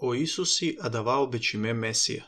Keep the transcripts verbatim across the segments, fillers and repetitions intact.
O Isusi adavao bečime Mesija.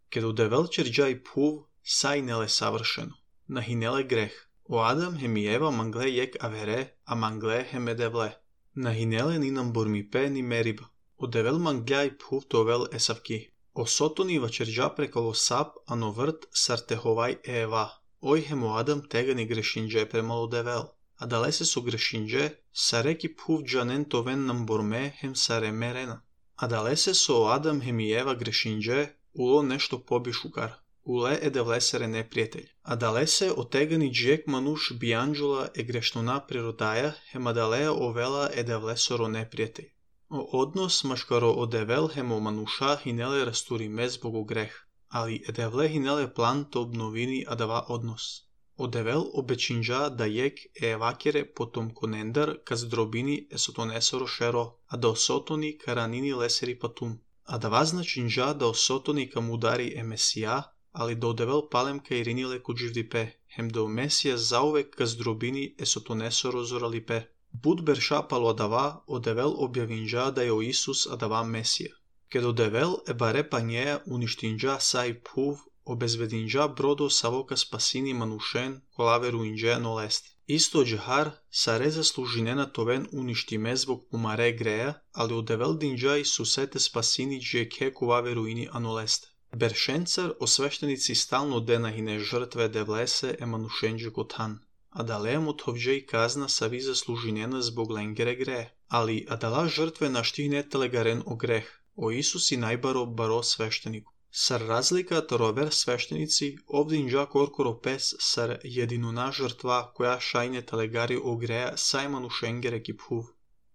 Kedu devel čerđaj puv, sai nele savršeno, na hinele greh. O Adam hem i Eva mangle jek avere, a mangle hem edevle. Na hinele ninam burmipe ni meriba. O devel mangljaj puv tovel esavki. O sotoni vačerđa prekalo sap, ano vrt sartehovaj Eva. Oj hem o Adam tegani grešinđe premalo devel. A dalese su grešinđe, sareki puv džanen toven nam borme hem sare merena. A dalese su o Adam hem i Eva grešinđe, ulo nešto pobišukar. Ule edevlesere neprijatelj. A dalese o tegani džek manuš bijanđula e grešnuna prirodaja, hem adalea ovela edevlesoro neprijatelj. O odnos maškaro odevel hem o manuša hinele rasturime zbog greh. Ali edevle hinele plan to obnovini adava odnos. Odevel obečinđa da jek e evakere potom konendar kaz drobini esotonesoro šero, a da osotoni karanini leseri patum. A da vaznačinđa da osotoni kam udari e Mesija, ali da odevel palemka i rinile kuđivdipe, hem da o Mesija zauvek kaz drobini esotonesoro zoralipe. Bud berša palo adava, odevel objavinđa da je o Isus adava Mesija. Ked odevel e bare panjeja uništinđa sai puv, obezvedinđa brodo savoka spasini manušen, kolaveru inđe nolest. Isto džahar, sare zaslužinena toven uništime zbog pumare greja, ali odevel dinđaj susete spasini džeke kolaveru ini anolest. Beršencar osveštenici stalno denahine žrtve devlese e manušenđe kotan. A da lemo tovđej kazna savi zaslužinena zbog lengere greje. Ali adala žrtve naštihne telegaren o greh. O Isusi najbaro baro svešteniku. Sar razlika torover sveštenici ovdinđa korkoro pes sar jedinuna žrtva koja šajne telegari o greja sajmanu šengere kiphuv.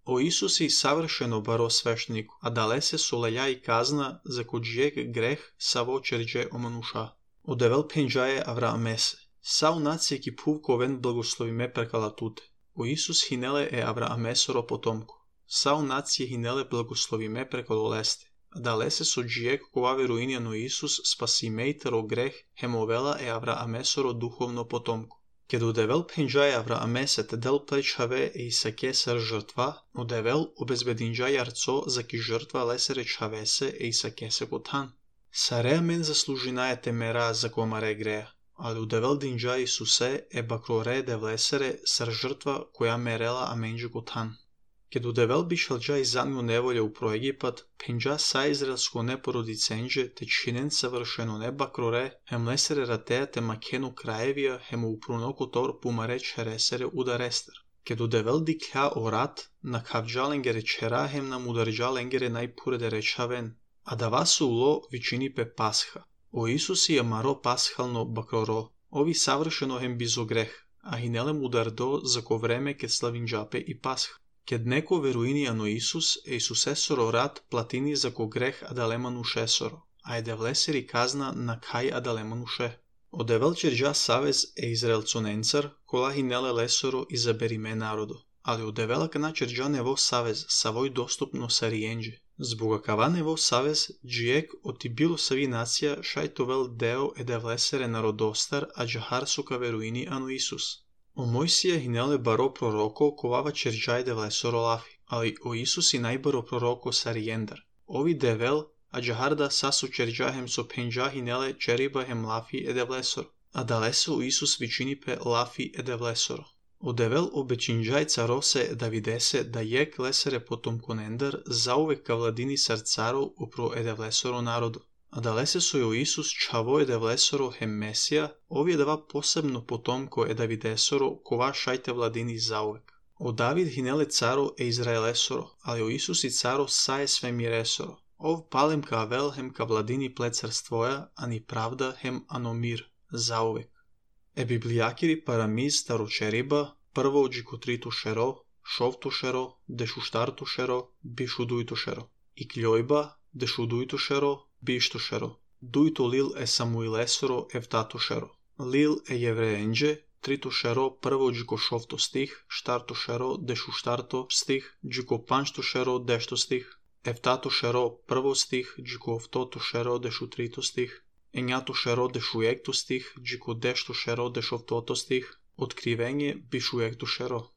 O Isusi savršeno baro svešteniku, a dalese soleja i kazna za kođijek greh savo čerđe o manuša. Odevel penđaje Avraamese. Sau nacije kiphuv koven blagoslovime prekalatute. O Isus hinele e Avraamesoro potomko. Sau nacije hinele blagoslovime prekaloleste. Dalese so džijek kovave ruinjano Isus spasimejtero greh hemovela e Avraamesoro duhovno potomko. Kedu devel penđaje Avraamese te del plečave e isake sar žrtva, odevel obezbedinđaj arco za ki žrtva lesere čavese e isake se kotan. Sare men zaslužinaje temera za komare greja, ali udevel dinđa Isuse e bakrore devlesere sar žrtva koja merela amenđe kotan. Kedu devel bišalđaj zanju nevolje u pro Egipat, penđa sa izraelsko neporodicenđe te činen savršeno ne bakrore, hem lesere ratea te makenu krajevija, hem u prunoko tor pumare čeresere udarester. Kedu devel diklja o rat, na kavđalengere čera hem nam udarđalengere najpurede rečaven, a da vasu ulo vičini pe pasha. O Isusi amaro pashalno bakroro, ovi savršeno hem bizo greh, a hinelem udardo za ko vreme ke slavinđape i pasha. Ked neko veruini ano Isus, e Isusesoro rat platini za ko greh adalemanu šesoro, a edevleseri kazna na kaj adalemanu še. Odevel čerđa savez e Izraelconencar, kola hinele lesoro izaberime narodo, ali odevel kana čerđa nevo savez, savoj dostupno sarijenđe. Zboga kava nevo savez, džijek oti bilo savi nacija šajtovel deo edevlesere narodostar, a džahar suka veruini ano Isus. O Mojsija hinele baro proroko kovava čerđaj devlesoro lafi, ali o Isusi najbaro proroko sarijendar. Ovi devel, a džaharda sasu čerđahem so penđa hinele čeribahem lafi edevlesoro, a daleso u Isus vičinipe lafi edevlesoro. O devel obečinđaj carose Davidese da jek lesere potom konendar zauvek ka vladini sarcarov upro edevlesoro narodu. A dalese su je o Isus čavo edevlesoro hem Mesija, ovi je dava posebno potomko e Davidesoro kova šajte vladini zauvek. O David hinele caro e Izraelesoro, ali o Isus i caro saje sve miresoro. Ov palem ka avel hem ka vladini plecarstvoja, ani pravda hem anomir, zauvek. E biblijakiri paramiz staročeriba, prvo džikotritu šero, šovtu šero, dešuštartu šero, bišudujtu šero. I kljojba, dešudujtu šero, bišto šero. Dujto lil e Samuilesoro evtato šero. Lil e jevreenđe, trito šero, prvo džiko šovto stih, štarto šero, dešu štarto stih, džiko panšto šero, dešto stih. Evtato šero, prvo stih, džiko ovtoto šero, dešu trito stih. Enjato šero, dešu ekto stih, džiko dešto šero, dešovtoto stih. Otkrivenje, bišu ekto šero.